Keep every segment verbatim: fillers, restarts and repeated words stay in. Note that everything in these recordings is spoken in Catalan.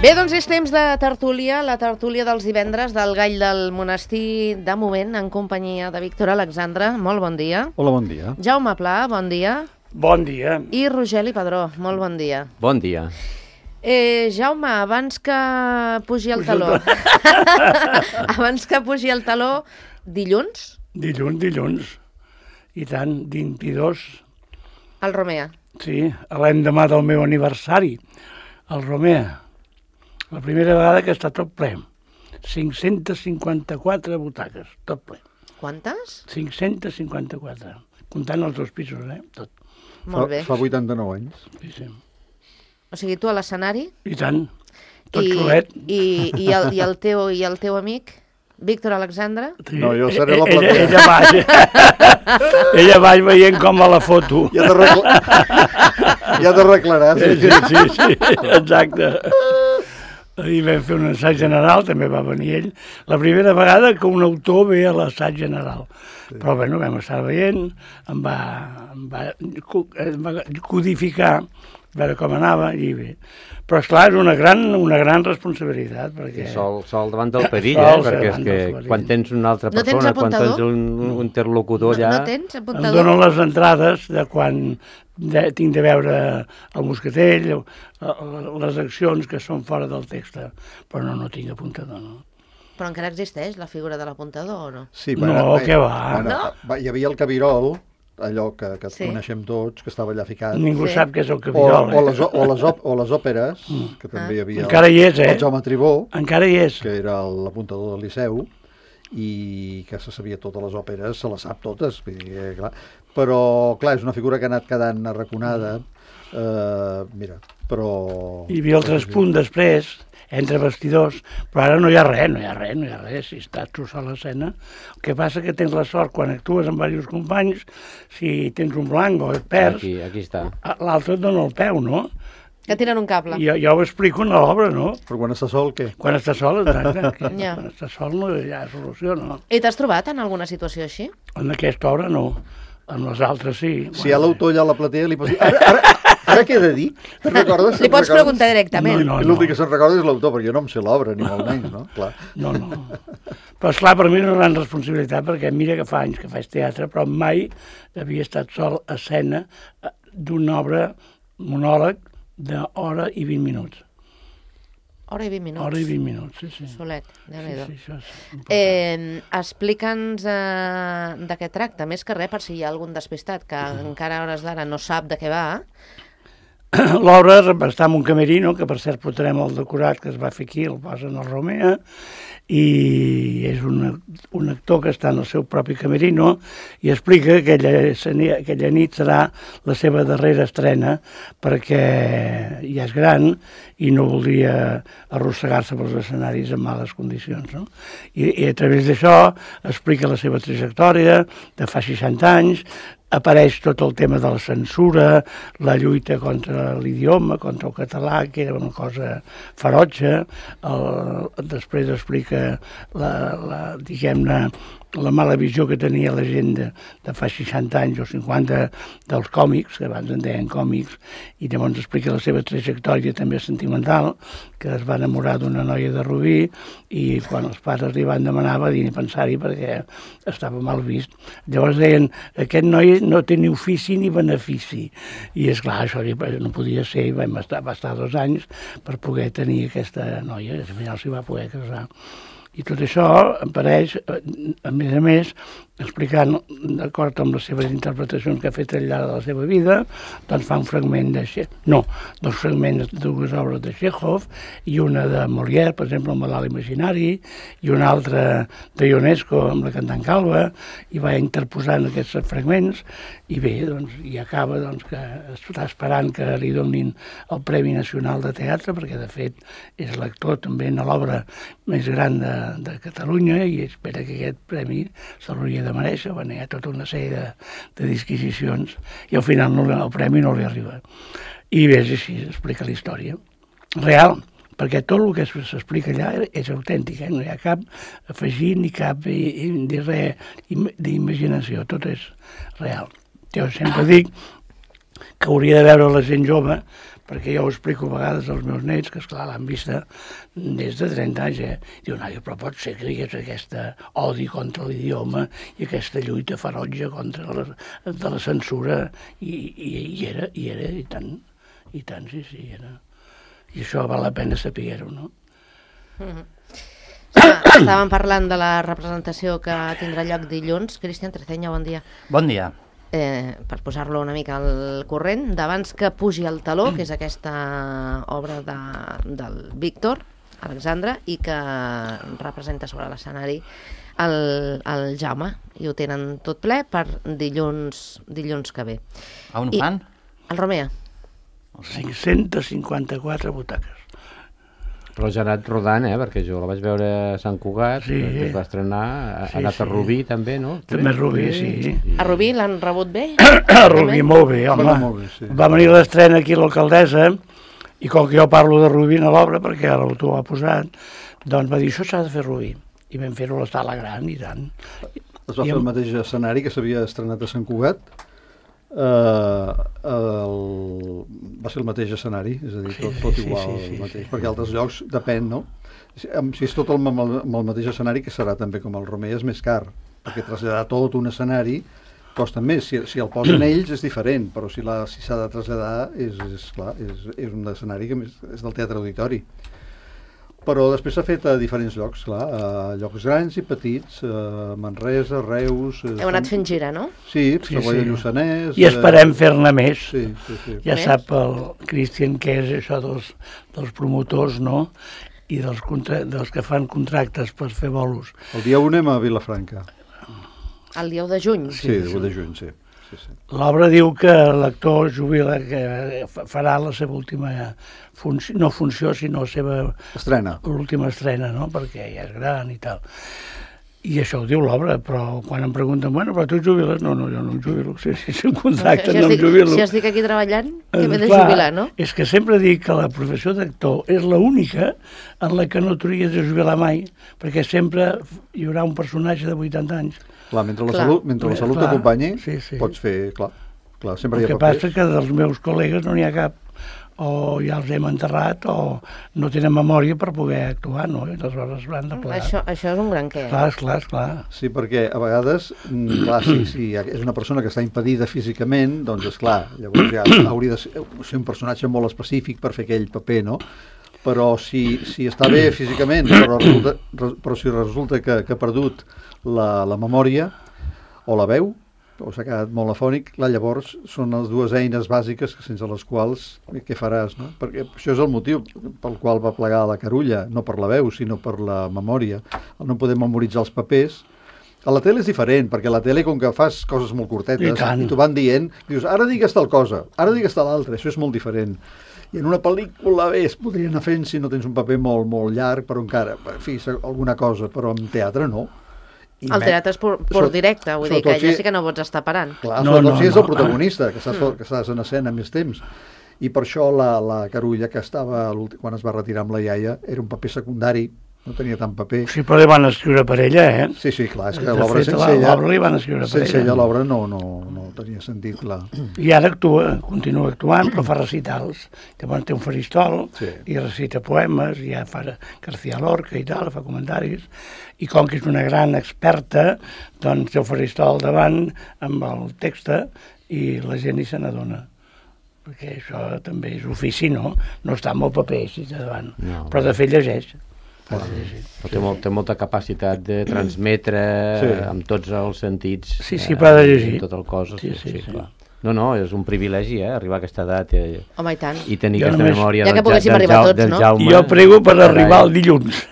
Bé, doncs és temps de tertúlia, la tertúlia dels divendres del Gall del Monestir, de moment, en companyia de Víctor Alexandre. Molt bon dia. Hola, bon dia. Jaume Pla, bon dia. Bon dia. I Rogeli Padró, molt bon dia. Bon dia. Eh, Jaume, abans que pugi el taló, abans que pugi el taló, dilluns? Dilluns, dilluns. I tant, vint-i-dos. Al Romea. Sí, l'endemà del meu aniversari, al Romea. La primera vegada que està tot ple. cinc-centes cinquanta-quatre butaques, tot ple. Quantes? cinc-centes cinquanta-quatre. Comptant els dos pisos, eh? Tot. Molt bé. Fa vuitanta-nou anys. Sí, sí. O sigui, tu a l'escenari? I tant. Tot I, solet. I, i, el, i, el teu, I el teu amic, Víctor Alexandre? Sí. No, jo seré la ella, platea. ella baix. Ella baix veient com a la foto. Ja t'ho recla... ja t'arreglaràs. Sí, sí, sí, sí, exacte. Ahir vam fer un assaig general, també va venir ell. La primera vegada que un autor ve a l'assaig general. Sí. Però bueno, vam estar veient, em va, em va, em va codificar, veure com anava, i bé. Però, esclar, és una gran, una gran responsabilitat, perquè... Sol, sol davant del perill, Sol, eh? Perquè és davant que del perill. quan tens una altra No tens persona, quan apuntador? tens un, un interlocutor allà... No, no tens Em apuntador? donen les entrades de quan de, tinc de veure el mosquetell, les accions que són fora del text, però no, no tinc apuntador, no. Però encara existeix la figura de l'apuntador o no? Sí, No, què va? Bueno, No? va, hi havia el cabirol, allò que, que Sí. coneixem tots, que estava allà ficat. Ningú Sí. sap què és el O, cabirol, o, eh? les, o, les, op- o les òperes, que també hi havia Encara hi és, eh? el Jaume Tribó, Encara hi és. que era l'apuntador del Liceu, i que se sabia totes les òperes, se les sap totes, vull dir, eh, clar. Però, clar, és una figura que ha anat quedant arraconada, eh, mira, però... Hi havia el traspunt després, entre vestidors, però ara no hi ha res, no hi ha res, no hi ha res, si estàs tu sol a l'escena. El que passa que tens la sort, quan actues amb diversos companys, si tens un blanc o et perds, Aquí, aquí està. l'altre et dona el peu, no? Que tiren un cable. Jo, jo ho explico en l'obra, no? Però quan està sol, què? Quan estàs sol, exacte. Que Ja. Quan estàs sol no hi ha solució, no? I t'has trobat en alguna situació així? En aquesta obra no, en les altres sí. Si hi ha l'autor allà a la platea, li pots dir... Ara, ara, ara què he de dir? Te'n recordes? Li pots preguntar directament. No, no. I l'últim que se'n recorda és l'autor, perquè jo no em sé l'obra, ni molt menys, no? Clar. No, no. Però, esclar, per mi és una gran responsabilitat, perquè mira que fa anys que faig teatre, però mai havia estat sol a escena d'una obra monòleg d'hora i vint minuts. Hora i vint minuts. Hora i vint minuts, sí, sí. Solet, déu-n'hi-do. Sí, sí, això és important. Eh, Explica'ns eh, de què tracta, més que res, per si hi ha algun despistat que encara a hores d'ara no sap de què va. L'obra està en un camerino, que per cert portarem el decorat que es va fer aquí, el posen al Romea, i és un, un actor que està en el seu propi camerino i explica que aquella, aquella nit serà la seva darrera estrena perquè ja és gran i no voldria arrossegar-se pels escenaris en males condicions, no? I, i a través d'això explica la seva trajectòria de fa seixanta anys, apareix tot el tema de la censura, la lluita contra l'idioma, contra el català, que era una cosa ferotge. El, després explica la, la, diguem-ne, la mala visió que tenia la gent de, de fa seixanta anys o cinquanta dels còmics, que abans en deien còmics, i llavors explica la seva trajectòria també sentimental, que es va enamorar d'una noia de Rubí i quan els pares li van demanar va dir ni pensar-hi perquè estava mal vist. Llavors deien, aquest noi no té ni ofici ni benefici. I és clar, això no podia ser, i vam estar, va estar dos anys per poder tenir aquesta noia, i al final s'hi va poder casar. I tot això apareix, a més a més, explicant, d'acord amb les seves interpretacions que ha fet al llarg de la seva vida, doncs fa un fragment de... No, dos fragments de dues obres de Chekhov, i una de Molière, per exemple, el Malalt imaginari, i una altra de Ionesco, amb la cantant Calva, i va interposant aquests fragments, i bé, doncs, i acaba doncs, que està esperant que li donin el Premi Nacional de Teatre, perquè de fet és l'actor també en l'obra més gran de, de Catalunya, i espera que aquest premi se l'hauria de mereixer. Bueno, hi ha tota una sèrie de, de disquisicions, i al final no, el premi no li arriba. I bé, és així, explica la història. Real, perquè tot el que s'explica allà és autèntic, eh? No hi ha cap afegit ni cap ni res d'imaginació, tot és real. Jo sempre dic que hauria de veure la gent jove perquè jo ho explico a vegades als meus nets, que esclar l'han vista des de trenta anys, eh? Diu, noia, però pot ser que hi hagués aquesta odi contra l'idioma i aquesta lluita ferotge contra la, de la censura, i, i, i era, i era, i tant, i tant, sí, sí, era. I això val la pena saber-ho, no? Mm-hmm. Estàvem parlant de la representació que tindrà lloc dilluns. Cristian Treceña, bon dia. Bon dia. Eh, per posar-lo una mica al corrent, d'abans que pugi el taló, que és aquesta obra de, del Víctor Alexandre, i que representa sobre l'escenari el, el Jaume, i ho tenen tot ple per dilluns, dilluns que ve. A on I, fan? El Romea. cinc-cents cinquanta-quatre butaques. Però ja ha anat rodant, eh? Perquè jo la vaig veure a Sant Cugat, Sí. que es va estrenar, ha Sí, anat a sí. Rubí també, no? També a Rubí, sí. A Rubí l'han rebut bé? A Rubí, molt bé, home. Bueno, molt bé, sí. Va venir l'estrena aquí a l'alcaldessa, i com que jo parlo de Rubí a l'obra, perquè ara l'autor ho ha posat, doncs va dir, això s'ha de fer Rubí. I vam fer-ho a la sala gran, i tant. Es va fer el mateix escenari que s'havia estrenat a Sant Cugat. Uh, el... va ser el mateix escenari, és a dir, tot, tot Sí, sí, igual, sí, sí, el mateix, sí. perquè altres llocs depèn, no? Si, si és tot el, amb, el, amb el mateix escenari, que serà també com el Romea, és més car, perquè traslladar tot un escenari costa més. Si, si el posen ells és diferent, però si la, si s'ha de traslladar és, és clar, és, és un escenari que més, és del Teatre Auditori. Però després s'ha fet a diferents llocs, clar, a llocs grans i petits, a Manresa, Reus... Heu anat fent gira, no? Sí, Sí, Savoia sí. Lluçanès... I esperem fer-ne més. Sí, sí, sí. Ja Més? sap el Cristian què és això dels, dels promotors, no? I dels, contra... dels que fan contractes per fer bolos. El dia u anem a Vilafranca. El dia u de juny. Sí, el u de juny, sí. sí, sí. L'obra diu que l'actor jubila, que farà la seva última funció, no funció, sinó la seva Estrena. l'última estrena, no? Perquè ja és gran i tal. I això ho diu l'obra, però quan em pregunten, bueno, però tu jubiles? No, no, jo no em jubilo. Si, si, si em contracten, Si no em estic, jubilo. si estic aquí treballant, que m'he de Clar, jubilar, no? És que sempre dic que la professió d'actor és l'única en la que no t'hauries de jubilar mai, perquè sempre hi haurà un personatge de vuitanta anys. Clar, mentre la Clar. salut, mentre la salut Clar, t'acompanyi, sí, sí. pots fer, clar, clar, sempre El hi que ha passa papers. que dels meus col·legues no n'hi ha cap, o ja els hem enterrat, o no tenen memòria per poder actuar, no? I aleshores l'han de plegar. Això, això és un gran què. Clar, esclar, esclar. Sí, perquè a vegades, mm, clar, si, si és una persona que està impedida físicament, doncs és clar, llavors ja hauria de ser, ser un personatge molt específic per fer aquell paper, no? Però si, si està bé físicament, però, resulta, però si resulta que, que ha perdut la, la memòria o la veu, o s'ha quedat molt afònic, clar, llavors són les dues eines bàsiques sense les quals què faràs, no? Perquè això és el motiu pel qual va plegar la Carulla, no per la veu, sinó per la memòria. El no poder memoritzar els papers. A la tele és diferent, perquè a la tele, com que fas coses molt curtetes, I tant. i t'ho van dient, dius, ara digues tal cosa, ara digues tal altra, això és molt diferent. I en una pel·lícula bé, es podria anar fent si no tens un paper molt, molt llarg, però encara, en fi, alguna cosa, però en teatre no. I El me- teatre és pur, pur Sobre- directe, vull dir que sobretot ja si- sí que no pots estar parant. Clar, No, sobretot no, si és no. el protagonista, que estàs, que estàs en escena més temps. I per això la, la Carulla, que estava a l'últim- quan es va retirar amb la iaia, era un paper secundari, no tenia tant paper. Sí, però li van escriure per ella, eh? Sí, sí, clar, és que De l'obra fet, sense la- ella... l'obra li van escriure per sense ella. ella l'obra no, no, no tenia sentit, clar. I ara actua, continua actuant, però fa recitals. Llavors té un faristol Sí. i recita poemes, i ja fa García Lorca i tal, fa comentaris. I com que és una gran experta, doncs té el faristol al davant amb el text i la gent hi se n'adona. Perquè això també és ofici, no? No està amb el paper així de davant. No. Però de fet llegeix. Però té, molt, té molta capacitat de transmetre Sí. amb tots els sentits. Sí, sí, però ha de llegir. Tot el cos. Sí, sí, sí. clar. No, no, és un privilegi, eh, arribar a aquesta edat i, Home, i tant. i tenir Jo aquesta només- memòria Ja que del, Ja- poguéssim del, arribar Jau- tots, del no? Jaume. I jo prego per Carai. arribar el dilluns.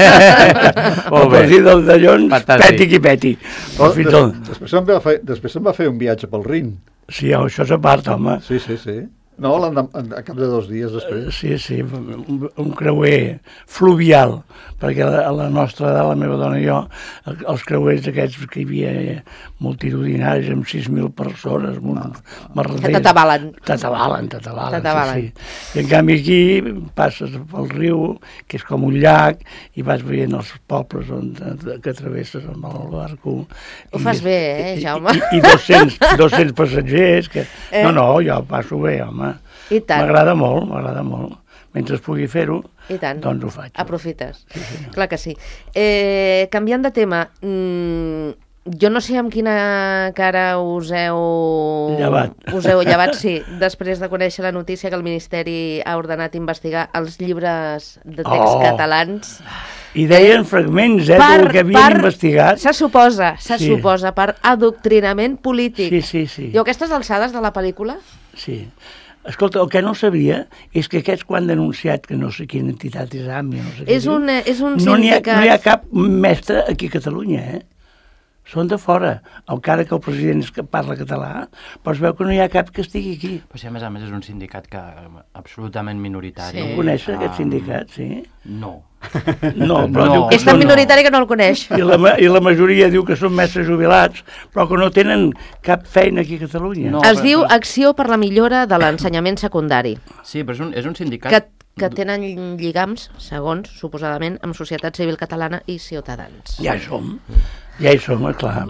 Molt A bé. partir del dilluns, Fantàstic. peti qui peti. Però Fins des, al- després, em va fer, després em va fer un viatge pel Rin. Sí, això és a part, home. Sí, sí, sí. No, l'endem- a cap de dos dies després. Sí, sí, un, un creuer fluvial, perquè a la nostra edat, la meva dona i jo, el- els creuers aquests que hi havia multitudinaris amb sis mil persones, amb uns merders. Que t'atabalen. T'atabalen, t'atabalen, T'atabalen. sí, sí. I en canvi aquí passes pel riu, que és com un llac, i vas veient els pobles on, que travesses amb el barco. Ho fas bé, eh, Jaume? I, i, i dos-cents, dos-cents passatgers, que... Eh? No, no, jo passo bé, home. home. I tant. M'agrada molt, m'agrada molt. Mentre pugui fer-ho, I tant. doncs ho faig. Aprofites. Sí, sí. Clar que sí. Eh, canviant de tema, mmm, jo no sé amb quina cara us heu... Llevat. Us heu llevat, sí, després de conèixer la notícia que el Ministeri ha ordenat investigar els llibres de text Oh. catalans. I deien fragments, eh, del que havien investigat. Se suposa, se Sí. suposa, per adoctrinament polític. Sí, sí, sí. I a aquestes alçades de la pel·lícula? Sí. Escolta, el que no sabia és que aquests quan han denunciat, que no sé quina entitat és AMI, no sé què És diu, un, és un no n'hi ha, sindicat... no hi ha cap mestre aquí a Catalunya, eh? Són de fora. Encara que el president és que parla català, però es veu que no hi ha cap que estigui aquí. Però si a més a més és un sindicat que absolutament minoritari. Sí. No coneixes Ah, aquest sindicat, sí? No. No, però No. diu que És tan són- minoritari que no el coneix. I la, ma- I la majoria diu que són mestres jubilats, però que no tenen cap feina aquí a Catalunya. No. Es però- diu però- Acció per la millora de l'ensenyament secundari, Sí, però és un, és un sindicat... que, que tenen lligams, segons, suposadament, amb Societat Civil Catalana i Ciutadans. Ja hi som, ja hi som, clar.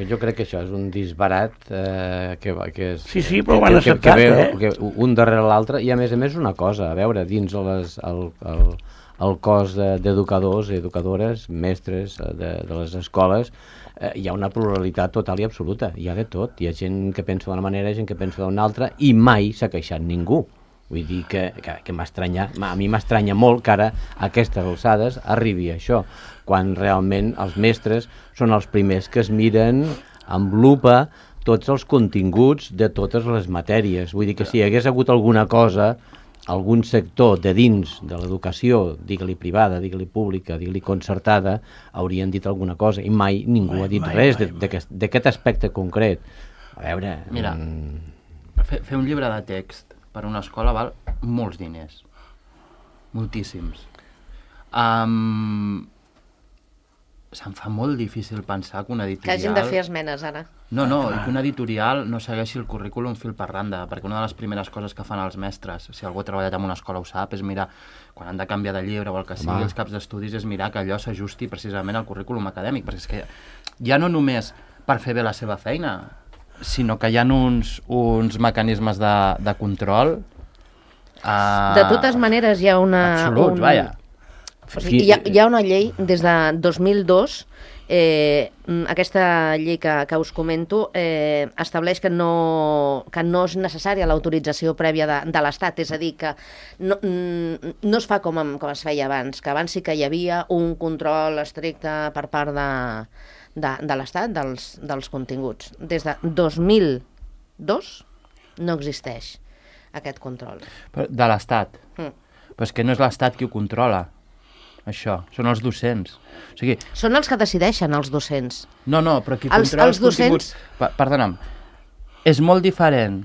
Jo crec que això és un disbarat eh, que, va- que és... Sí, sí, però ho que- han que- que acceptat, ve, eh? Que un darrere l'altre, i a més a més una cosa, a veure, dins les, el, el, el cos de- d'educadors i educadores, mestres eh, de, de les escoles, eh, hi ha una pluralitat total i absoluta, hi ha de tot, hi ha gent que pensa d'una manera, gent que pensa d'una altra, i mai s'ha queixat ningú. Vull dir que, que, que m'estranya, a mi m'estranya molt que ara a aquestes alçades arribi això, quan realment els mestres són els primers que es miren amb lupa tots els continguts de totes les matèries. Vull dir que si hi hagués hagut alguna cosa, algun sector de dins de l'educació, digue-li privada, digue-li pública, digue-li concertada, haurien dit alguna cosa, i mai ningú Mai, ha dit mai, res mai, de- d'aquest d'aquest aspecte concret. A veure... Mira, mm, fer, fer un llibre de text per a una escola val molts diners. Moltíssims. Um, se'm fa molt difícil pensar que una Que editorial... hagin de fer esmenes, ara. No, no, i que una editorial no segueixi el currículum fil per randa, perquè una de les primeres coses que fan els mestres, si algú ha treballat en una escola ho sap, és mirar, quan han de canviar de llibre o el que sigui, Home. els caps d'estudis, és mirar que allò s'ajusti precisament al currículum acadèmic, perquè és que ja no només per fer bé la seva feina, sinó que hi ha uns, uns mecanismes de, de control... Uh, De totes maneres, hi ha una... Absoluts, un... vaja. O sigui, hi, ha, hi ha una llei des de dos mil dos, eh, aquesta llei que, que us comento eh, estableix que no, que no és necessària l'autorització prèvia de, de l'Estat, és a dir, que no, no es fa com, com es feia abans, que abans sí que hi havia un control estricte per part de, de, de l'Estat dels, dels continguts. Des de dos mil dos no existeix aquest control. Però de l'Estat. Mm. Però és que no és l'Estat qui ho controla, això. Són els docents. O sigui, Són els que decideixen, els docents. no, no, però qui Els- controla els els, continguts... docents- Pa perdona'm. És molt diferent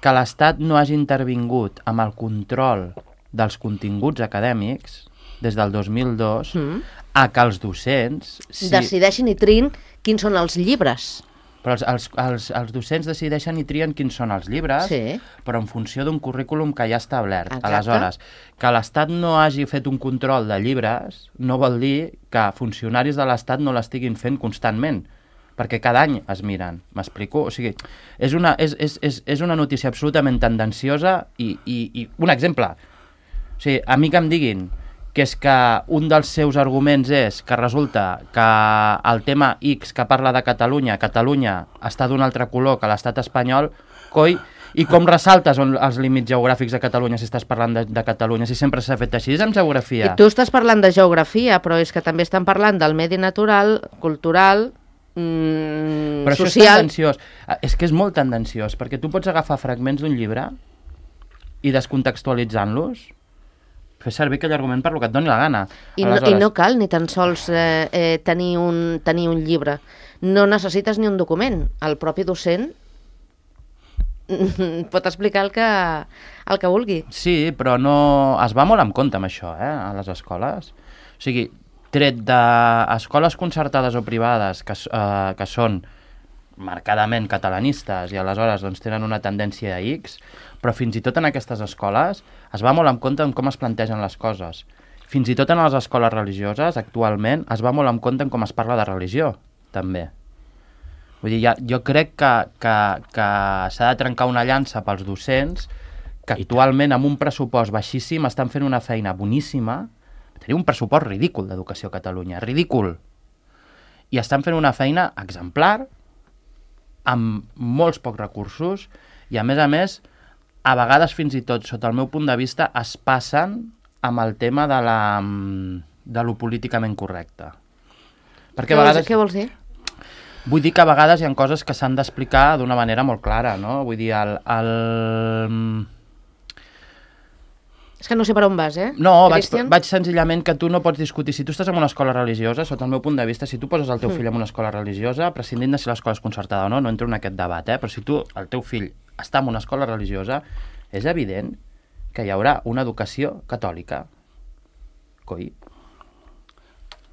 que l'Estat no hagi intervingut amb el control dels continguts acadèmics des del dos mil dos Mm. a que els docents... Sí. Decideixin i trin quins són els llibres. Però els, els, els, els docents decideixen i trien quins són els llibres, Sí. però en funció d'un currículum que ja ha establert. Exacte. Aleshores, que l'Estat no hagi fet un control de llibres no vol dir que funcionaris de l'Estat no l'estiguin fent constantment, perquè cada any es miren. M'explico? O sigui, és una, és, és, és, és una notícia absolutament tendenciosa i, i, i un exemple. O sigui, a mi que em diguin que és que un dels seus arguments és que resulta que el tema X que parla de Catalunya, Catalunya està d'un altre color que l'estat espanyol, coi, i com ressaltes on, els límits geogràfics de Catalunya si estàs parlant de, de Catalunya, si sempre s'ha fet així, és amb geografia. I tu estàs parlant de geografia, però és que també estan parlant del medi natural, cultural, mm, Però això és social... tendenciós. Ah, És que és molt tendenciós, perquè tu pots agafar fragments d'un llibre i descontextualitzant-los fer servir aquell argument per lo que et doni la gana. I no, I no cal ni tan sols eh, eh, tenir, un, tenir un llibre. No necessites ni un document. El propi docent pot explicar el que, el que vulgui. Sí, però no... Es va molt en compte amb això, eh, a les escoles. O sigui, tret d'escoles concertades o privades que, eh, que són marcadament catalanistes i aleshores doncs, tenen una tendència a X, però fins i tot en aquestes escoles es va molt en compte en com es plantegen les coses. Fins i tot en les escoles religioses, actualment, es va molt en compte en com es parla de religió, també. Vull dir, ja, jo crec que, que, que s'ha de trencar una llança pels docents que actualment amb un pressupost baixíssim estan fent una feina boníssima. Tenim un pressupost ridícul d'educació a Catalunya, ridícul. I estan fent una feina exemplar, amb molts pocs recursos, i a més a més, a vegades fins i tot, sota el meu punt de vista, es passen amb el tema de, la, de lo políticament correcte. Perquè Què, a vegades... vols, què vols dir? Vull dir que a vegades hi ha coses que s'han d'explicar d'una manera molt clara, no? Vull dir, el... el... És que no sé per on vas, eh? No, vaig, Cristian? vaig senzillament que tu no pots discutir. Si tu estàs en una escola religiosa, sota el meu punt de vista, si tu poses el teu fill en una escola religiosa, prescindint de si l'escola és concertada o no, no entro en aquest debat, eh? Però si tu, el teu fill, està en una escola religiosa, és evident que hi haurà una educació catòlica. Coi.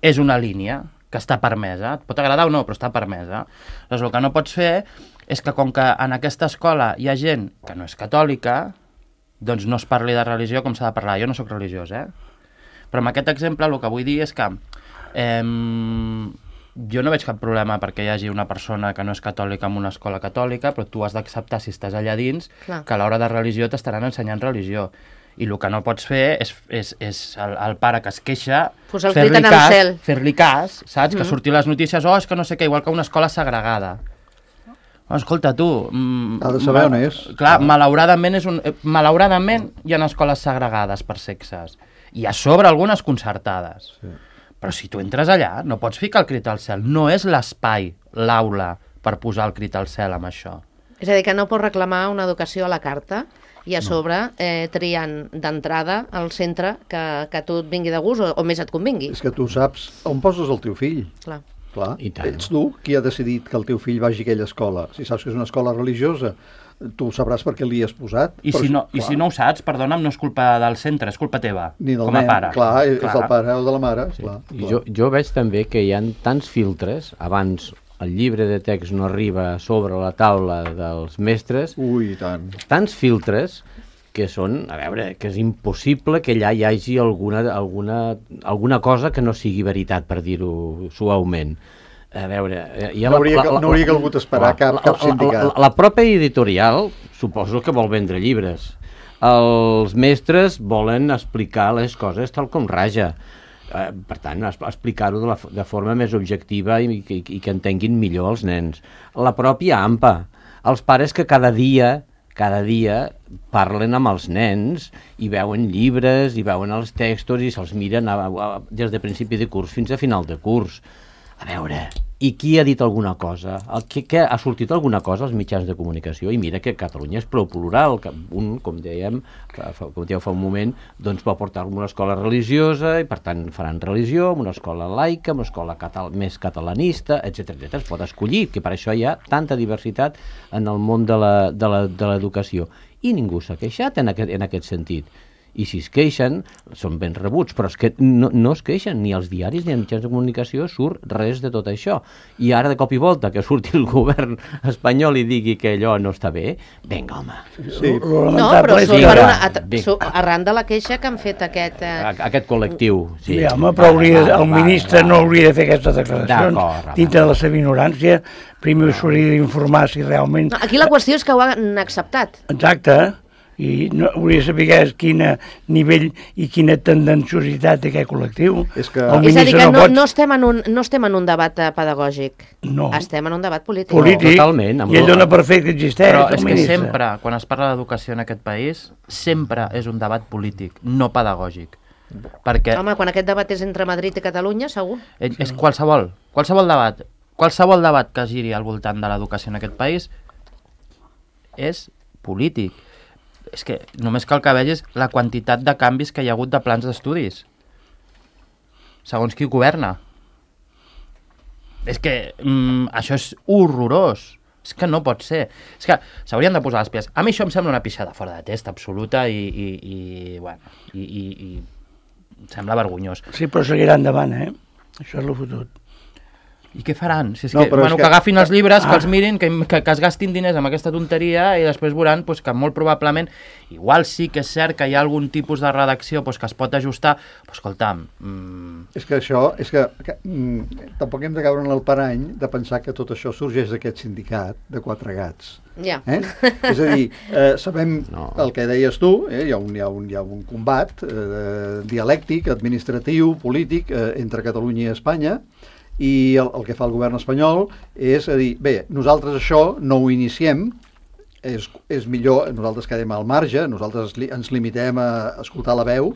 És una línia que està permesa. Et pot agradar o no, però està permesa. Llavors, el que no pots fer és que, com que en aquesta escola hi ha gent que no és catòlica, doncs no es parli de religió com s'ha de parlar. Jo no sóc religiós, eh? Però amb aquest exemple el que vull dir és que eh, jo no veig cap problema perquè hi hagi una persona que no és catòlica en una escola catòlica, però tu has d'acceptar, si estàs allà dins, Clar. que a l'hora de religió t'estaran ensenyant religió. I el que no pots fer és, és, és el, el pare que es queixa, Posar el fer-li crit en el cas, cel. fer-li cas, saps? Mm. Que surti les notícies, oh, és que no sé què, igual que una escola segregada. Oh, escolta, tu... Mm, Ha de saber on és. Clar, Clar. malauradament, és un, eh, malauradament hi ha escoles segregades per sexes. I a sobre algunes concertades. Sí. Però si tu entres allà, no pots ficar el crit al cel. No és l'espai, l'aula, per posar el crit al cel amb això. És a dir, que no pots reclamar una educació a la carta i a sobre eh, triant d'entrada al centre que, que a tu et vingui de gust o, o més et convingui. És que tu saps on poses el teu fill. Clar. Clar, I tant. ets tu qui ha decidit que el teu fill vagi a aquella escola. Si saps que és una escola religiosa, tu sabràs per què l'hi has posat. I, però, si no, I clar, si no ho saps, perdona'm, no és culpa del centre, és culpa teva, ni del com a nen, pare. Clar, és del pare o de la mare. Sí. Clar, I clar. jo, jo veig també que hi ha tants filtres, abans el llibre de text no arriba sobre la taula dels mestres, Ui, i tant. tants filtres que són, a veure, que és impossible que allà hi hagi alguna, alguna, alguna cosa que no sigui veritat, per dir-ho suaument. A veure... Hi ha No hauria, no hauria calgut esperar la, cap, cap sindicat. La, la, la pròpia editorial suposo que vol vendre llibres. Els mestres volen explicar les coses tal com raja. Eh, per tant, es- explicar-ho de, la, de forma més objectiva i, i, i que entenguin millor els nens. La pròpia A M P A, els pares que cada dia cada dia parlen amb els nens i veuen llibres i veuen els textos i se'ls miren a, a, des de principi de curs fins a final de curs. A veure, i qui ha dit alguna cosa? El, que, que ha sortit alguna cosa als mitjans de comunicació? I mira que Catalunya és prou plural, que un, com dèiem, que fa, com dèiem fa un moment, doncs va portar una escola religiosa i per tant faran religió, una escola laica, una escola catal més catalanista, etcètera etcètera. Es pot escollir, que per això hi ha tanta diversitat en el món de la, de la, de l'educació. I ningú s'ha queixat en aquest, en aquest sentit. I si es queixen, són ben rebuts, però és que no, no es queixen, ni als diaris ni als mitjans de comunicació surt res de tot això. I ara, de cop i volta, que surti el govern espanyol i digui que allò no està bé, vinga, home. Sí. No, però és surt que- per Vinga, una, at, vinga. su, arran de la queixa que han fet aquest... Eh, A- Aquest col·lectiu, sí. Sí, home, però hauria, Va, va, el va, ministre va. no hauria de fer aquestes declaracions D'acord, va, dintre va. de la seva ignorància. Primer s'hauria d'informar si realment... no, aquí la qüestió és que ho han acceptat. Exacte, i no, hauria de saber quin nivell i quina tendenciositat té aquest col·lectiu. És que- El És a dir, que ministre no, pot... no, estem en un, no estem en un debat eh, pedagògic. No. Estem en un debat polític. polític, Totalment, amb i ell raó. dona per fet que existeix, Però el és que ministre. sempre, quan es parla d'educació en aquest país, sempre és un debat polític, no pedagògic. Perquè Home, quan aquest debat és entre Madrid i Catalunya, segur. és, és qualsevol, qualsevol debat, qualsevol debat que giri al voltant de l'educació en aquest país és polític. És que només cal que vegis la quantitat de canvis que hi ha hagut de plans d'estudis. Segons qui governa. És que mm, això és horrorós. És que no pot ser. És que s'haurien de posar les pies. A mi això em sembla una pixada fora de test absoluta i, i, i bueno, i, i, i em sembla vergonyós. Sí, però seguirà endavant, eh? Això és el fotut. I què faran? Si és No, que, però bueno, és que que- agafin els llibres, Ah. que els mirin, que, que, que es gastin diners amb aquesta tonteria i després veuran pues, que molt probablement, igual sí que és cert que hi ha algun tipus de redacció pues, que es pot ajustar, però escolta'm... Mm... És que això, és que, que mm, tampoc hem de caure en el parany de pensar que tot això sorgeix d'aquest sindicat de quatre gats. Ja. Eh? És a dir, eh, sabem No. el que deies tu, eh? hi, ha un, hi, ha un, hi ha un combat eh, dialèctic, administratiu, polític eh, entre Catalunya i Espanya, i el, el que fa el govern espanyol és a dir, bé, nosaltres això no ho iniciem, és, és millor, nosaltres quedem al marge, nosaltres li, ens limitem a escoltar la veu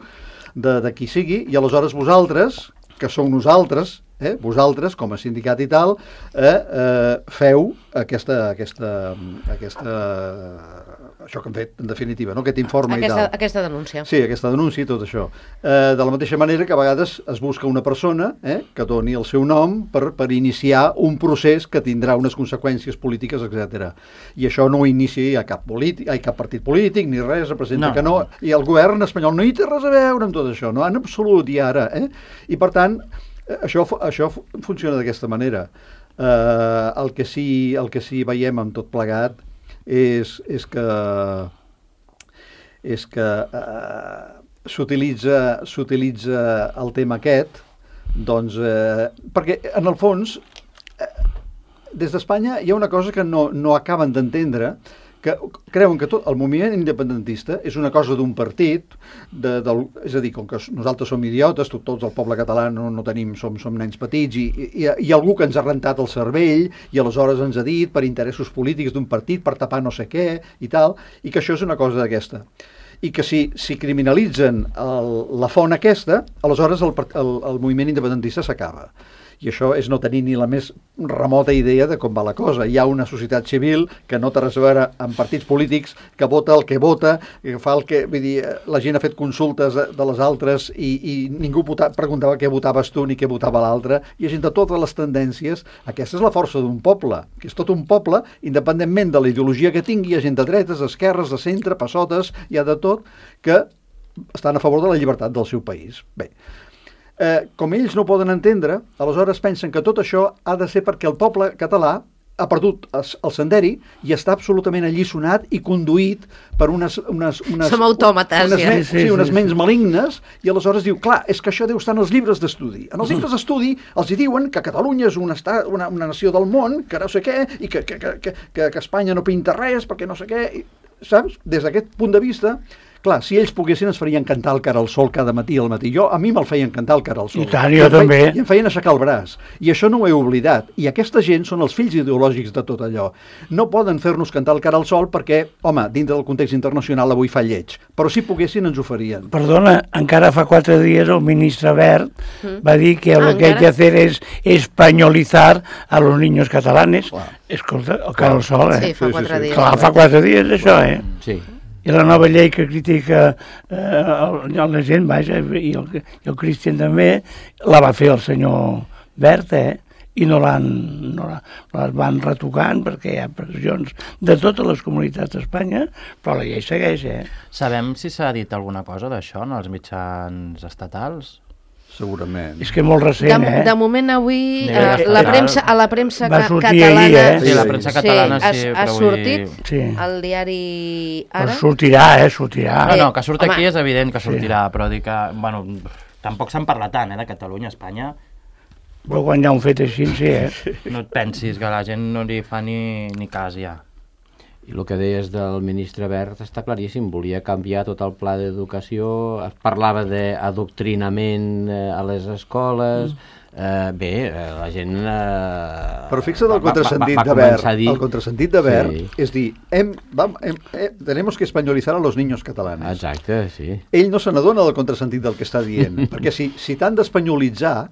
de, de qui sigui, i aleshores vosaltres, que sou nosaltres, eh, vosaltres, com a sindicat i tal, eh, eh, feu aquesta, aquesta, aquesta, això que hem fet, en definitiva, no? Aquest informe Aquesta, i tal. aquesta denúncia. Sí, aquesta denúncia i tot això. Eh, de la mateixa manera que a vegades es busca una persona eh, que doni el seu nom per, per iniciar un procés que tindrà unes conseqüències polítiques, etcètera. I això no ho inicia cap, polític, ai, cap partit polític ni res, representa No. que no. I el govern espanyol no hi té res a veure amb tot això, no, en absolut, i ara. Eh? I per tant, eh, això, fu- això fu- funciona d'aquesta manera. Eh, el, que sí, el que sí veiem amb tot plegat és, és que és que eh, s'utilitza s'utilitza el tema aquest, doncs, eh, perquè en el fons eh, des d'Espanya hi ha una cosa que no, no acaben d'entendre, que creuen que tot el moviment independentista és una cosa d'un partit, de, del, és a dir, com que nosaltres som idiotes, tot, tots el poble català no, no tenim, som, som nens petits, i, i, i algú que ens ha rentat el cervell i aleshores ens ha dit per interessos polítics d'un partit, per tapar no sé què i tal, i que això és una cosa d'aquesta. I que si, si criminalitzen el, la font aquesta, aleshores el, el, el moviment independentista s'acaba. I això és no tenir ni la més remota idea de com va la cosa. Hi ha una societat civil que no té res a veure amb partits polítics, que vota el que vota, que fa el que... Vull dir, la gent ha fet consultes de, de les altres i, i ningú vota, preguntava què votaves tu ni què votava l'altre. Hi ha gent de totes les tendències. Aquesta és la força d'un poble, que és tot un poble, independentment de la ideologia que tingui, hi ha gent de dretes, d'esquerres, de centre, passotes, hi ha de tot, que estan a favor de la llibertat del seu país. Bé, Eh, com ells no poden entendre, aleshores pensen que tot això ha de ser perquè el poble català ha perdut el senderi i està absolutament alliçonat i conduït per unes... unes, unes Som autòmates, unes, ja. ments, Sí, sí, sí, unes sí, ments sí. malignes, i aleshores diu, clar, és que això deu estar en els llibres d'estudi. En els llibres d'estudi els hi diuen que Catalunya és un estat, una, una nació del món, que no sé què, i que, que, que, que, que Espanya no pinta res perquè no sé què, i, saps? Des d'aquest punt de vista... Clar, si ells poguessin es farien cantar el cara al sol cada matí al matí. Jo, a mi me'l feien cantar el cara al sol. I tant, jo em feien, també. I em feien aixecar el braç. I això no ho he oblidat. I aquesta gent són els fills ideològics de tot allò. No poden fer-nos cantar el cara al sol perquè, home, dintre del context internacional avui fa lleig. Però si poguessin ens ho farien. Perdona, encara fa quatre dies el ministre Wert Mm. va dir que Ah, lo que hay encara? que hacer es españolizar a los niños catalanes. Clar. Escolta, el cara al sol, eh? Sí, fa Sí, sí, quatre sí. dies. Clar, fa quatre dies això, eh? Sí. I la nova llei que critica eh, el, la gent, vaja, i el, i el Cristian també, la va fer el senyor Wert, eh? I no l'han, no la, les van retocant perquè hi ha pressions de totes les comunitats d'Espanya, però la llei segueix, eh? Sabem si s'ha dit alguna cosa d'això en els mitjans estatals? Segurament. És que molt recent, De, eh? de moment avui Nivell eh, la estatal. premsa, a la premsa Va ca sortir catalana ahir, eh? Sí, la premsa catalana sí, sí, ha, però ha vull sortit dir... Sí. al diari Però Ara. sortirà, eh? Sortirà. No, Eh, no, que surt home. aquí és evident que Sí. sortirà, però dic que, bueno, tampoc se'n parla tant, eh, de Catalunya, Espanya. Però quan hi ha un fet així, sí, eh? No et pensis que la gent no li fa ni, ni cas ja. I el que deies del ministre Wert està claríssim, volia canviar tot el pla d'educació, es parlava d'adoctrinament eh, a les escoles, eh, bé, eh, la gent... Eh, Però fixa't el va- va- contrasentit va de Wert. començar a dir- El contrasentit de Wert Sí. és dir, hem, vam, hem, eh, tenemos que españolizar a los niños catalanes. Exacte, sí. Ell no se n'adona del contrasentit del que està dient, perquè si, si t'han d'espanyolitzar,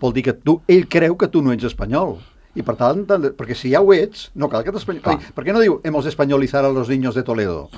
vol dir que tu, ell creu que tu no ets espanyol. I per tant, t'han de- perquè si ja ho ets, no cal que t'espanyolitzar. Clar. Per què no diu hemos de españolizar a los niños de Toledo?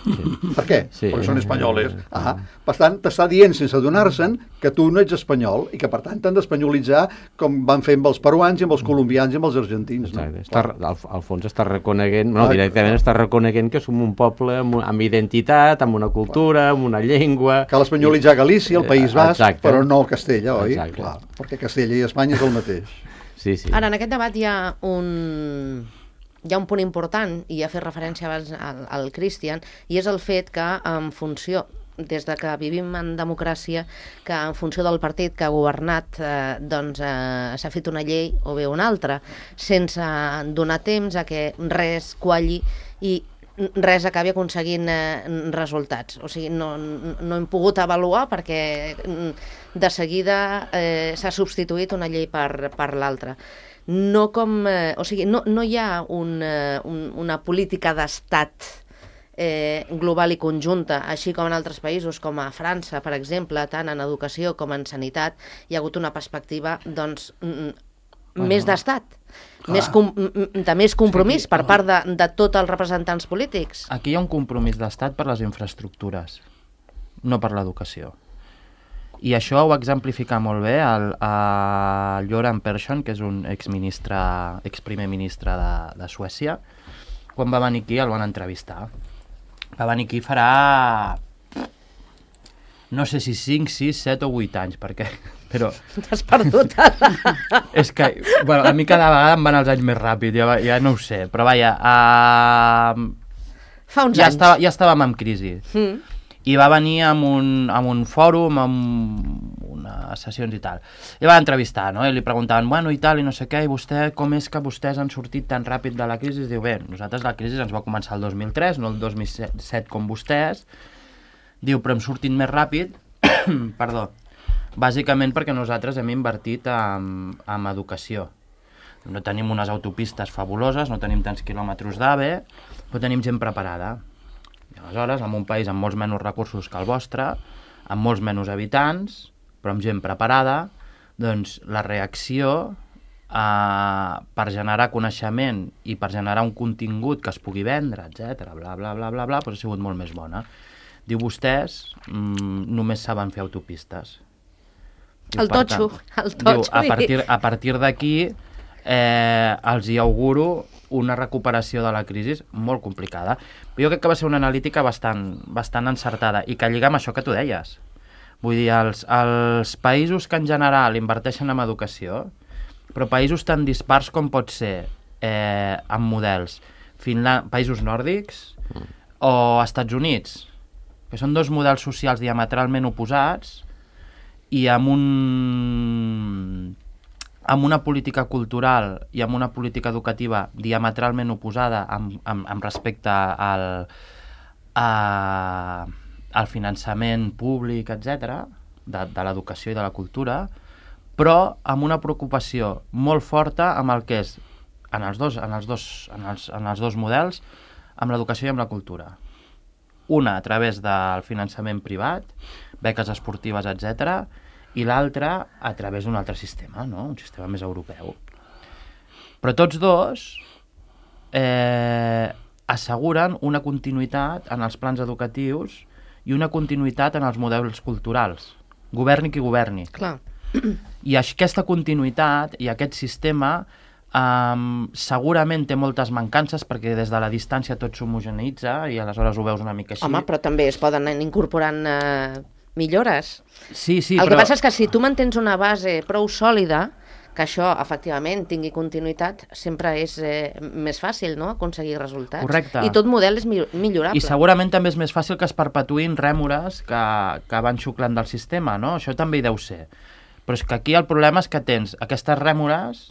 Per què? Sí. Perquè són espanyoles. Ah, per tant, t'està dient sense adonar-se'n que tu no ets espanyol i que per tant t'han d'espanyolitzar com van fer amb els peruans i amb els colombians i amb els argentins. No? Exacte. Està, al, al fons està reconeguent, no, Ah, directament està reconeguent que som un poble amb, amb identitat, amb una cultura, amb una llengua... Cal espanyolitzar Galícia, el País Basc, Exacte. però no Castella, oi? Exacte. Clar, perquè Castella i Espanya és el mateix. Sí, sí. Ara, en aquest debat hi ha un... Hi ha un punt important, i ha fet referència abans al, al Cristian, i és el fet que en funció, des de que vivim en democràcia, que en funció del partit que ha governat eh, doncs eh, s'ha fet una llei o bé una altra, sense donar temps a que res qualli i res acabi aconseguint eh, resultats. O sigui, no, no hem pogut avaluar perquè de seguida eh, s'ha substituït una llei per, per l'altra. No com, eh, o sigui, no, no hi ha un, eh, un, una política d'estat eh, global i conjunta, així com en altres països, com a França, per exemple, tant en educació com en sanitat, hi ha hagut una perspectiva, doncs, mm, bueno, més d'estat, més com, de més compromís per part de, de tots els representants polítics. Aquí hi ha un compromís d'estat per les infraestructures, no per l'educació. I això ho va exemplificar molt bé el, el Göran Persson, que és un exministre, exprimer ministre de, de Suècia. Quan va venir aquí el van entrevistar. Va venir aquí farà... no sé si cinc, sis, set o vuit anys, perquè... Però... T'has perdut. És que, bueno, a mi cada vegada em van els anys més ràpid, ja, ja no ho sé, però vaja... Uh... Fa uns ja anys. Estava, ja estàvem en crisi. Mm. I va venir amb un, amb un fòrum, amb unes sessions i tal. I va entrevistar, no? I li preguntaven, bueno, i tal, i no sé què, i vostè, com és que vostès han sortit tan ràpid de la crisi? I diu, bé, nosaltres la crisi ens va començar el dos mil tres, no el dos mil set com vostès. Diu, però hem sortit més ràpid, perdó, bàsicament perquè nosaltres hem invertit en, en educació. No tenim unes autopistes fabuloses, no tenim tants quilòmetres d'AVE, però tenim gent preparada. I aleshores, en un país amb molts menys recursos que el vostre, amb molts menys habitants, però amb gent preparada, doncs la reacció eh, per generar coneixement i per generar un contingut que es pugui vendre, etcètera, bla, bla, bla, bla, bla, doncs ha sigut molt més bona. Diu, vostès mm, només saben fer autopistes. Diu, El totxo, tant, el totxo. Diu, a partir, a partir d'aquí eh, els hi auguro una recuperació de la crisi molt complicada. Jo crec que va ser una analítica bastant, bastant encertada i que lliga amb això que tu deies. Vull dir, els, els països que en general inverteixen en educació, però països tan dispars com pot ser eh, amb models Finland, països nòrdics o Estats Units, que són dos models socials diametralment oposats i amb un... amb una política cultural i amb una política educativa diametralment oposada amb, amb, amb respecte al, a, al finançament públic, etcètera, de, de l'educació i de la cultura, però amb una preocupació molt forta amb el que és, en els dos, en els dos, en els, en els dos models, amb l'educació i amb la cultura. Una a través del finançament privat, beques esportives, etcètera, i l'altra a través d'un altre sistema, no? Un sistema més europeu. Però tots dos eh, asseguren una continuïtat en els plans educatius i una continuïtat en els models culturals, governi qui governi. Clar. I aquesta continuïtat i aquest sistema Um, segurament té moltes mancances perquè des de la distància tot s'homogeneïtza i aleshores ho veus una mica així. Home, però també es poden anar incorporant eh, millores. Sí, sí, El però... que passa és que si tu mantens una base prou sòlida, que això, efectivament, tingui continuïtat, sempre és eh, més fàcil, no?, aconseguir resultats. Correcte. I tot model és millorable. I segurament també és més fàcil que es perpetuïn rèmores que, que van xuclant del sistema, no? Això també hi deu ser. Però és que aquí el problema és que tens aquestes rèmores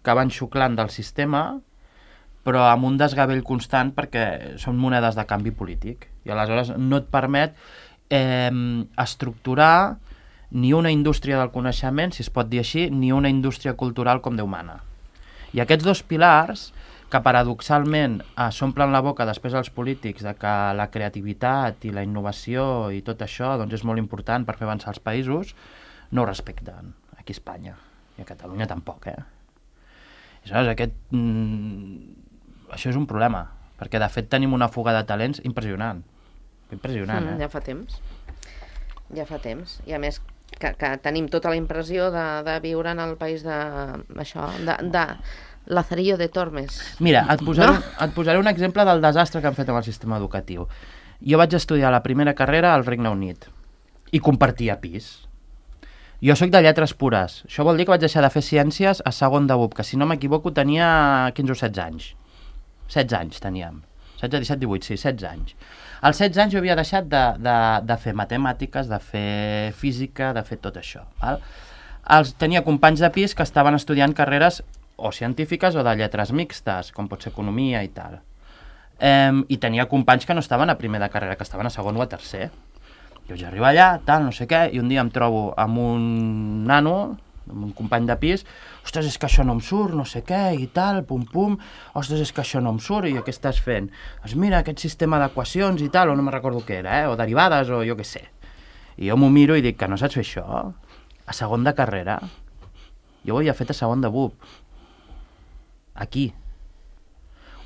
que van xuclant del sistema, però amb un desgavell constant perquè són monedes de canvi polític. I aleshores no et permet eh, estructurar ni una indústria del coneixement, si es pot dir així, ni una indústria cultural com Déu mana. I aquests dos pilars, que paradoxalment eh, s'omplen la boca després als polítics de que la creativitat i la innovació i tot això doncs, és molt important per fer avançar els països, no ho respecten aquí a Espanya. I a Catalunya tampoc, eh? Aleshores, aquest, mm, això és un problema, perquè de fet tenim una fuga de talents impressionant. Impressionant, mm, eh? Ja fa temps. Ja fa temps. I a més que, que tenim tota la impressió de, de viure en el país de... això, de... de Lazarillo de Tormes. Mira, et posaré, no? et posaré un exemple del desastre que han fet amb el sistema educatiu. Jo vaig estudiar la primera carrera al Regne Unit i compartia pis. Jo sóc de lletres pures. Això vol dir que vaig deixar de fer ciències a segon de B U P, que si no m'equivoco tenia quinze o setze anys. setze anys teníem. setze, disset, divuit, sí, setze anys. Als setze anys jo havia deixat de, de, de fer matemàtiques, de fer física, de fer tot això. Val? Els, tenia companys de pis que estaven estudiant carreres o científiques o de lletres mixtes, com pot ser economia i tal. Um, I tenia companys que no estaven a primer de carrera, que estaven a segon o a tercer. Jo ja arribo allà, tal, no sé què, i un dia em trobo amb un nano, amb un company de pis, ostres, és que això no em surt, no sé què, i tal, pum, pum, ostres, és que això no em surt, i jo, què estàs fent? Doncs mira, aquest sistema d'equacions i tal, o no me'n recordo què era, eh? O derivades, o jo què sé. I jo m'ho miro i dic, que no saps fer això? A segon de carrera? Jo ho havia fet a segon de B U P. Aquí.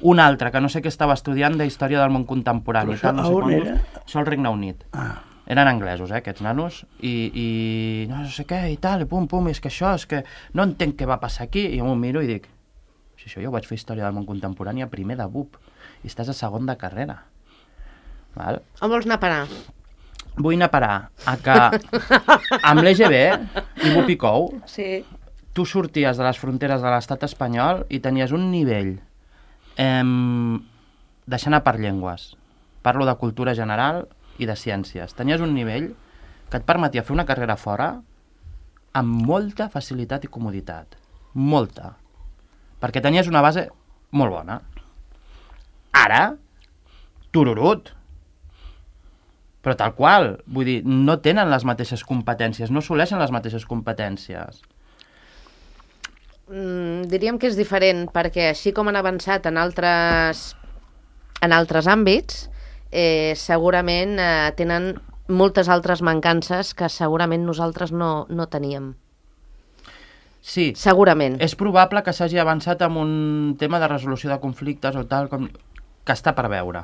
Un altre, que no sé què estava estudiant de història del món contemporani. Però tal, no sé on quantos, era? Això al Regne Unit. Ah. Eren anglesos, eh, aquests nanos, i, i no sé què, i tal, i pum, pum, i és que això, és que no entenc què va passar aquí, i jo m'ho miro i dic, si això jo vaig fer història del món contemporani a primer de B U P, i estàs a segon de carrera. Val? On vols anar a parar? Vull anar a parar a que amb l'E G B i B U P I C O U Sí. tu sorties de les fronteres de l'estat espanyol i tenies un nivell eh, deixant a part llengües. Parlo de cultura general i de ciències. Tenies un nivell que et permetia fer una carrera fora amb molta facilitat i comoditat. Molta. Perquè tenies una base molt bona. Ara, tururut. Però tal qual. Vull dir, no tenen les mateixes competències, no assoleixen les mateixes competències. Mm, diríem que és diferent, perquè així com han avançat en altres, en altres àmbits, eh, segurament eh, tenen moltes altres mancances que segurament nosaltres no, no teníem. Sí, Segurament. és probable que s'hagi avançat amb un tema de resolució de conflictes o tal, com que està per veure.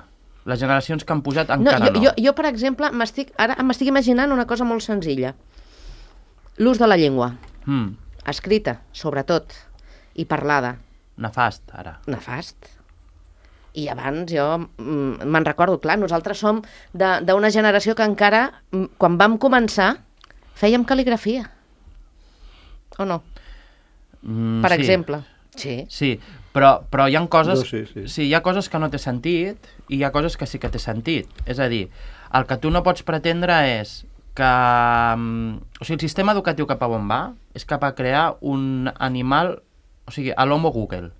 Les generacions que han pujat encara jo, no. Jo, jo, per exemple, m'estic ara m'estic imaginant una cosa molt senzilla. L'ús de la llengua, Mm, escrita, sobretot, i parlada. nefast, ara. Nefast. I abans jo mm, me'n recordo, clar, nosaltres som de- d'una generació que encara, mm, quan vam començar, fèiem cal·ligrafia. O no? Mm, Per sí. exemple. Sí. Sí, però, però hi ha coses... Jo sí, sí. sí, hi ha coses que no té sentit i hi ha coses que sí que té sentit. És a dir, el que tu no pots pretendre és que... mm, O sigui, el sistema educatiu cap a on va és cap a crear un animal... O sigui, a l'homo Google.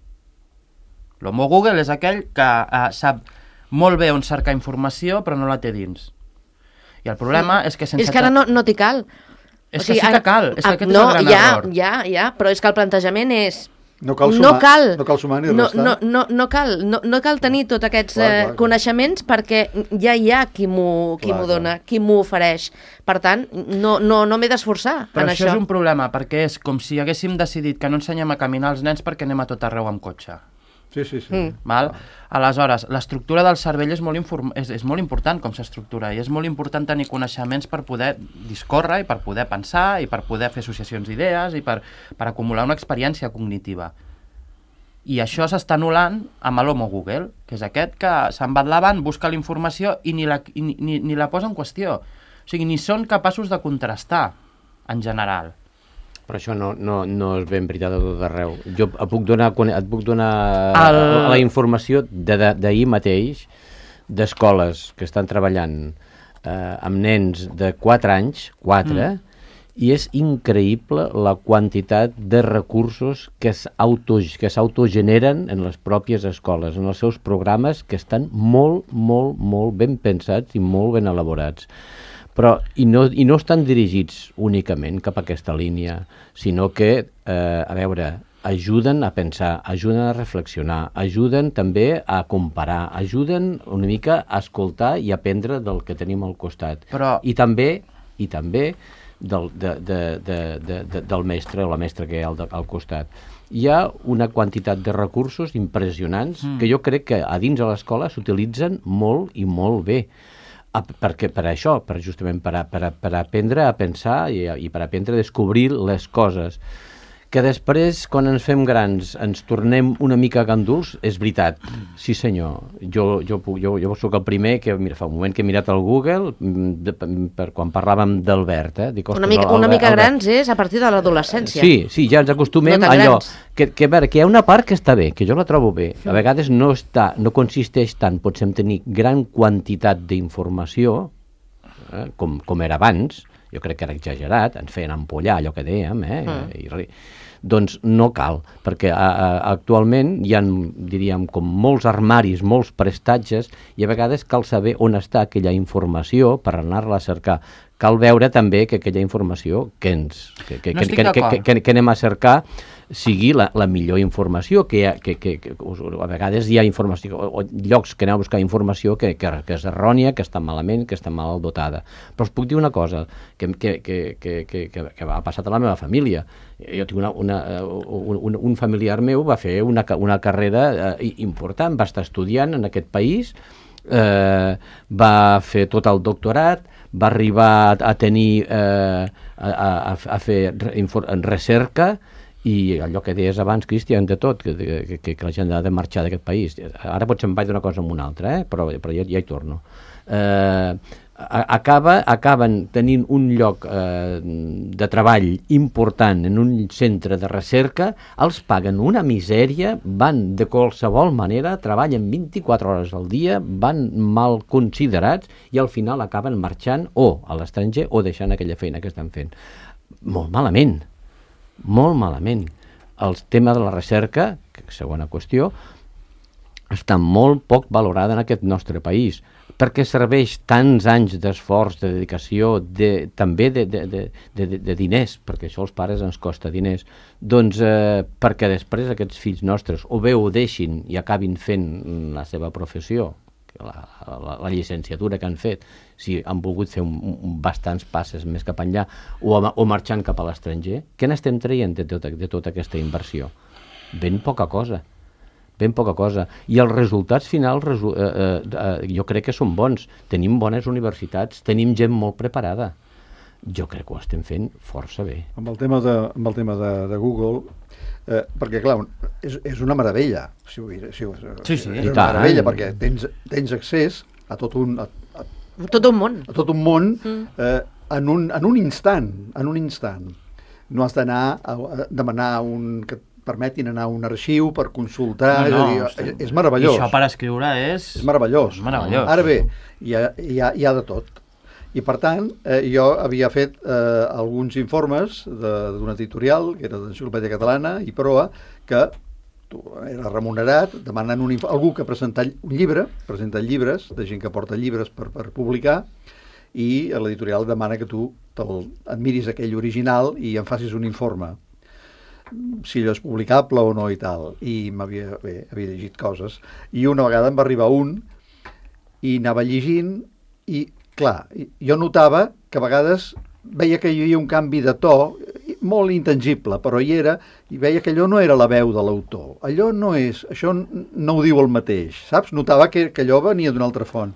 L'homo Google és aquell que eh, sap molt bé on cercar informació però no la té dins. I el problema és que sense... És que ara no, no t'hi cal. És que sí que cal, és que aquest és no, el gran ja, error. Ja, ja, però és que el plantejament és... No cal no sumar, cal, no cal sumar ni no, restar. no, no, no, cal, no, no cal tenir tots aquests Clar, eh, clar, clar. coneixements perquè ja hi ha qui m'ho qui Clar, m'ho clar. dona, qui m'ho ofereix. Per tant, no, no, no m'he d'esforçar Però en això, això. és un problema, perquè és com si haguéssim decidit que no ensenyem a caminar els nens perquè anem a tot arreu amb cotxe. Sí, sí, sí. Mm. Val? Aleshores, l'estructura del cervell és molt, inform... és, és molt important com s'estructura i és molt important tenir coneixements per poder discórrer i per poder pensar i per poder fer associacions d'idees i per, per acumular una experiència cognitiva. I això s'està anul·lant amb l'homo Google, que és aquest que se'n va endavant, busca la informació i ni la, i ni, ni, ni la posa en qüestió. O sigui, ni són capaços de contrastar, en general. Però això no, no, no és ben veritat a tot arreu. Jo et puc donar, et puc donar El... la informació d'ahir mateix d'escoles que estan treballant eh, amb nens de quatre anys, quatre, mm. i és increïble la quantitat de recursos que s'autogeneren en les pròpies escoles, en els seus programes, que estan molt, molt, molt ben pensats i molt ben elaborats. Però, i no, i no estan dirigits únicament cap a aquesta línia, sinó que, eh, a veure, ajuden a pensar, ajuden a reflexionar, ajuden també a comparar, ajuden una mica a escoltar i aprendre del que tenim al costat. Però... I també, i també del, de, de, de, de, de, del mestre o la mestra que hi ha al, al costat. Hi ha una quantitat de recursos impressionants mm. que jo crec que a dins de l'escola s'utilitzen molt i molt bé. Perquè, per això, per justament per, a, per, a, per aprendre a pensar i, a, i per aprendre a descobrir les coses. Que després, quan ens fem grans, ens tornem una mica ganduls, és veritat. Sí, senyor. Jo, jo, jo, jo sóc el primer que, mira, fa un moment que he mirat al Google, de, per, quan parlàvem d'Albert, eh? Dic, una mica, Albert, una mica Albert. grans és a partir de l'adolescència. Sí, sí, ja ens acostumem no a allò. Grans. Que, que, a veure, que hi ha una part que està bé, que jo la trobo bé. A vegades no, està, no consisteix tant, potser tenir gran quantitat d'informació, eh? com, com era abans, jo crec que era exagerat, ens feien ampollar allò que dèiem, eh? Mm. I res. Doncs no cal, perquè a, a, actualment hi ha, diríem, com molts armaris, molts prestatges, i a vegades cal saber on està aquella informació per anar-la a cercar. Cal veure també que aquella informació que, ens, que, que, no que, que, que, que, que anem a cercar sigui la, la millor informació, que, ha, que, que, que a vegades hi ha informació, o, o llocs que aneu a buscar informació que, que, que és errònia, que està malament, que està mal dotada. Però us puc dir una cosa, que, que, que, que, que, que ha passat a la meva família. Jo tinc una, una, un, un familiar meu va fer una, una carrera eh, important, va estar estudiant en aquest país, eh, va fer tot el doctorat, va arribar a tenir, eh, a, a, a fer recerca, i allò que deies abans, Cristian, de tot, que, que, que la gent ha de marxar d'aquest país. Ara potser em vaig d'una cosa amb una altra, eh? però, però ja, ja hi torno. Eh, acaba, acaben tenint un lloc eh, de treball important en un centre de recerca, els paguen una misèria, van de qualsevol manera, treballen vint-i-quatre hores al dia, van mal considerats i al final acaben marxant o a l'estranger o deixant aquella feina que estan fent. Molt malament. Molt malament. El tema de la recerca, que segona qüestió, està molt poc valorada en aquest nostre país, perquè serveix tants anys d'esforç, de dedicació, de, també de, de, de, de, de diners, perquè això als pares ens costa diners, doncs eh, perquè després aquests fills nostres o bé ho deixin i acabin fent la seva professió, la, la, la llicenciatura que han fet, si han volgut fer un, un, bastants passes més cap enllà, o, o marxant cap a l'estranger. Què n'estem traient de tota, de tota aquesta inversió? Ben poca cosa. Ben poca cosa. I els resultats finals resu eh, eh, jo crec que són bons. Tenim bones universitats, tenim gent molt preparada. Jo crec que ho estem fent força bé. Amb el tema de, amb el tema de, de Google, eh, perquè clar, és, és una meravella. Si ho, si ho, sí, sí. És una meravella, perquè tens, tens accés a tot un... A, a, tot un món. A tot un món mm. eh, en, un, en un instant. En un instant. No has d'anar a, a demanar un... que permetin anar a un arxiu per consultar, no, no, és, a dir, és meravellós. I això per escriure és... És meravellós. És meravellós. Ara bé, hi ha, hi ha, hi ha de tot. I per tant, eh, jo havia fet eh, alguns informes d'una editorial, que era d'Enciclopèdia Catalana i Proa, que tu, era remunerat, demanant un algú que presenta un llibre, presenta llibres, de gent que porta llibres per, per publicar, i l'editorial demana que tu et miris aquell original i en facis un informe, si allò és publicable o no i tal. I m'havia havia llegit coses. I una vegada em va arribar un i anava llegint i, clar, jo notava que a vegades veia que hi havia un canvi de to molt intangible, però hi era, i veia que allò no era la veu de l'autor. Allò no és, això no ho diu el mateix, saps? Notava que, que allò venia d'una altra font.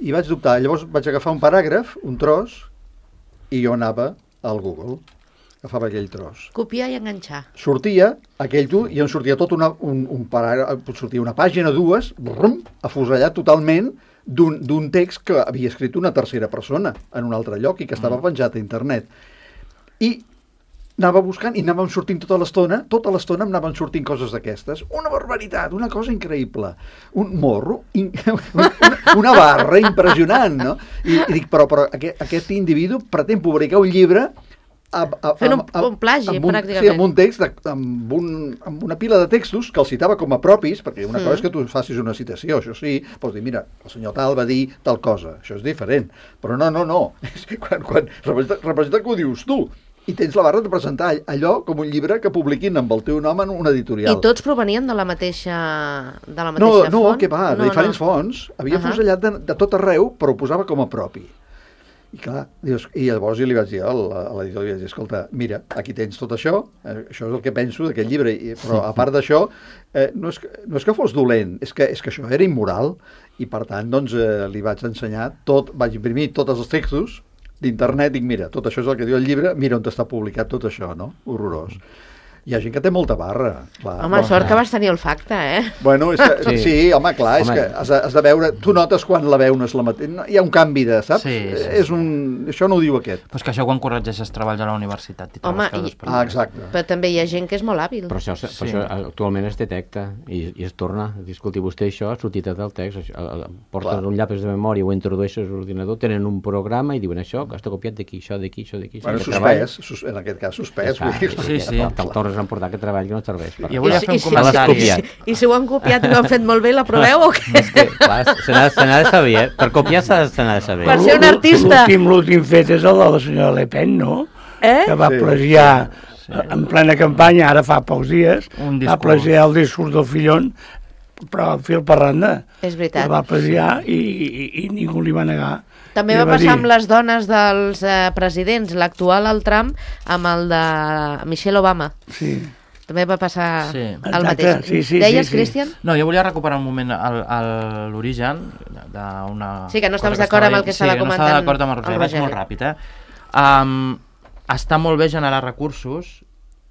I vaig dubtar. Llavors vaig agafar un paràgraf, un tros, i jo anava al Google. Agafava aquell tros. Copiar i enganxar. Sortia aquell tu i em sortia tot una, un, un paràgraf, sortia una pàgina, dues, brum, afusellat totalment d'un text que havia escrit una tercera persona en un altre lloc i que estava penjat a internet. I anava buscant i anàvem sortint tota l'estona, tota l'estona em anaven sortint coses d'aquestes. Una barbaritat, una cosa increïble. Un morro, in, una, una barra impressionant, no? I, i dic, però, però aquest, aquest individu pretén publicar un llibre A, a, fent un, a, un plagi, amb un, pràcticament. Sí, amb un text, de, amb, un, amb una pila de textos que el citava com a propis, perquè una mm. cosa és que tu facis una citació, això sí, pots dir, mira, el senyor tal va dir tal cosa, això és diferent, però no, no, no, quan, quan representa, representa que ho dius tu, i tens la barra de presentar allò com un llibre que publiquin amb el teu nom en una editorial. I tots provenien de la mateixa, de la mateixa no, font? No, que va, de no, diferents no. fonts, havia uh -huh. fusellat de, de tot arreu, però ho posava com a propi. I clar, dius, i llavors jo li vaig dir a l'editor, li vaig dir, escolta, mira, aquí tens tot això, eh, això és el que penso d'aquest llibre, i, però a part d'això, eh, no, és que, no és que fos dolent, és que, és que això era immoral, i per tant, doncs, eh, li vaig ensenyar tot, vaig imprimir tots els textos, d'internet, dic, mira, tot això és el que diu el llibre, mira on està publicat tot això, no? Horrorós. Hi ha gent que té molta barra. Clar. Home, sort que vas tenir olfacte, eh? Bueno, és que, sí. Sí. sí, home, clar, home. És que has de, has de veure... Tu notes quan la veu no és la mateixa. Hi ha un canvi de, saps? Sí, sí, és un... Això no ho diu aquest. Però és que això quan corregeixes treballs a la universitat i Home, trobes i- coses Ah, exacte. Però també hi ha gent que és molt hàbil. Però això, sí. Sí. això actualment es detecta i, i es torna. Disculti, vostè això ha sortit del text, això, el- el- porten Clar. un llapis de memòria, ho introdueixes a l'ordinador, tenen un programa i diuen això, que està copiat d'aquí, això d'aquí, això d'aquí. Bueno, això que suspès, sus, en aquest cas suspès. treball. Vull dir, Sí, sí. Te'l tornes a emportar aquest treball que no et serveix. Per Jo volia fer un I si- comentari. i si- I si ho han copiat i ho han fet molt bé, l'aproveu o què? És que, clar, se n'ha se n'ha de saber, eh? Per copiar se se n'ha de saber. Per ser un artista. L'últim l'últim fet és el de la senyora Le Pen, no? Eh? Que va Sí. plagiar en plena campanya, ara fa pocs dies, Un va discurs. plagiar el discurs del Fillon, però fil per randa. És veritat. El va plagiar i, i, i ningú li va negar. També I va va passar dir- amb les dones dels eh, presidents, l'actual el Trump, amb el de Michelle Obama. Sí. També va passar Sí. el Exacte, mateix. sí, sí, Deies, sí, sí. Cristian? No, jo volia recuperar un moment el- el- l'origen d'una... Sí, que no estaves cosa d'acord amb el estava que estava dient. Sí, comentant no estava d'acord amb el Roger, el vaig Roger. molt ràpid, eh? Um, està molt bé generar recursos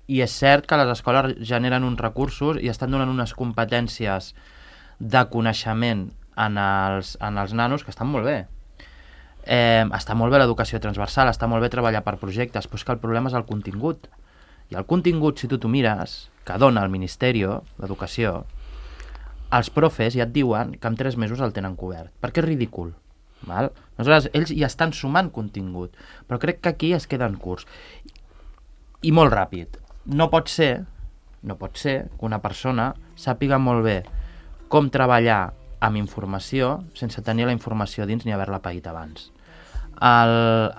i és cert que les escoles generen uns recursos i estan donant unes competències de coneixement en els, en els nanos que estan molt bé. Eh, està molt bé l'educació transversal, està molt bé treballar per projectes, però és que el problema és el contingut. I el contingut, si tu t'ho mires, que dona el Ministeri d'Educació, els profes ja et diuen que en tres mesos el tenen cobert, perquè és ridícul. Val? Aleshores, ells ja estan sumant contingut, però crec que aquí es queden curts. I molt ràpid. No pot ser, no pot ser que una persona sàpiga molt bé com treballar amb informació sense tenir la informació dins ni haver-la paït abans. El,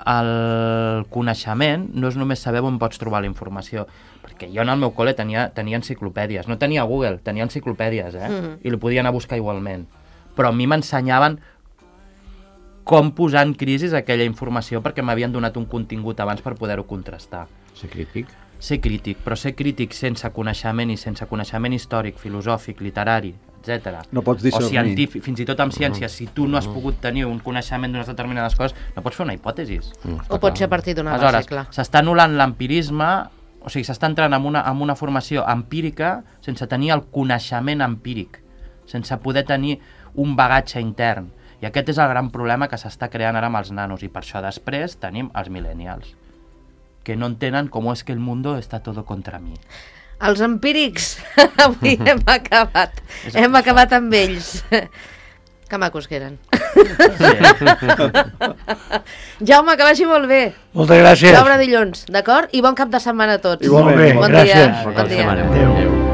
el coneixement no és només saber on pots trobar la informació, perquè jo en el meu col·le tenia, tenia enciclopèdies, no tenia Google, tenia enciclopèdies, eh? Mhm. I li podia anar a buscar igualment. Però a mi m'ensenyaven com posar en crisi aquella informació perquè m'havien donat un contingut abans per poder-ho contrastar. Ser crític. Ser crític, però ser crític sense coneixement i sense coneixement històric, filosòfic, literari, etcètera. No pots O discernir. científic, fins i tot amb ciència, si tu no has pogut tenir un coneixement d'unes determinades coses, no pots fer una hipòtesi. Mm, O pot ser a partir d'una base, Aleshores, clar. s'està anul·lant l'empirisme, o sigui, s'està entrant en una, en una formació empírica sense tenir el coneixement empíric, sense poder tenir un bagatge intern. I aquest és el gran problema que s'està creant ara amb els nanos, i per això després tenim els millennials, que no entenen com és que el mundo està todo contra mi. Els empírics, avui hem acabat. És Hem això. acabat amb ells. Que macos que eren. Jaume, que vagi molt bé. Moltes gràcies. L'obra dilluns, d'acord? I bon cap de setmana a tots. Igualment. Molt bé, Bon gràcies. dia. Bon Bon cap de dia. setmana. Adéu. Adéu.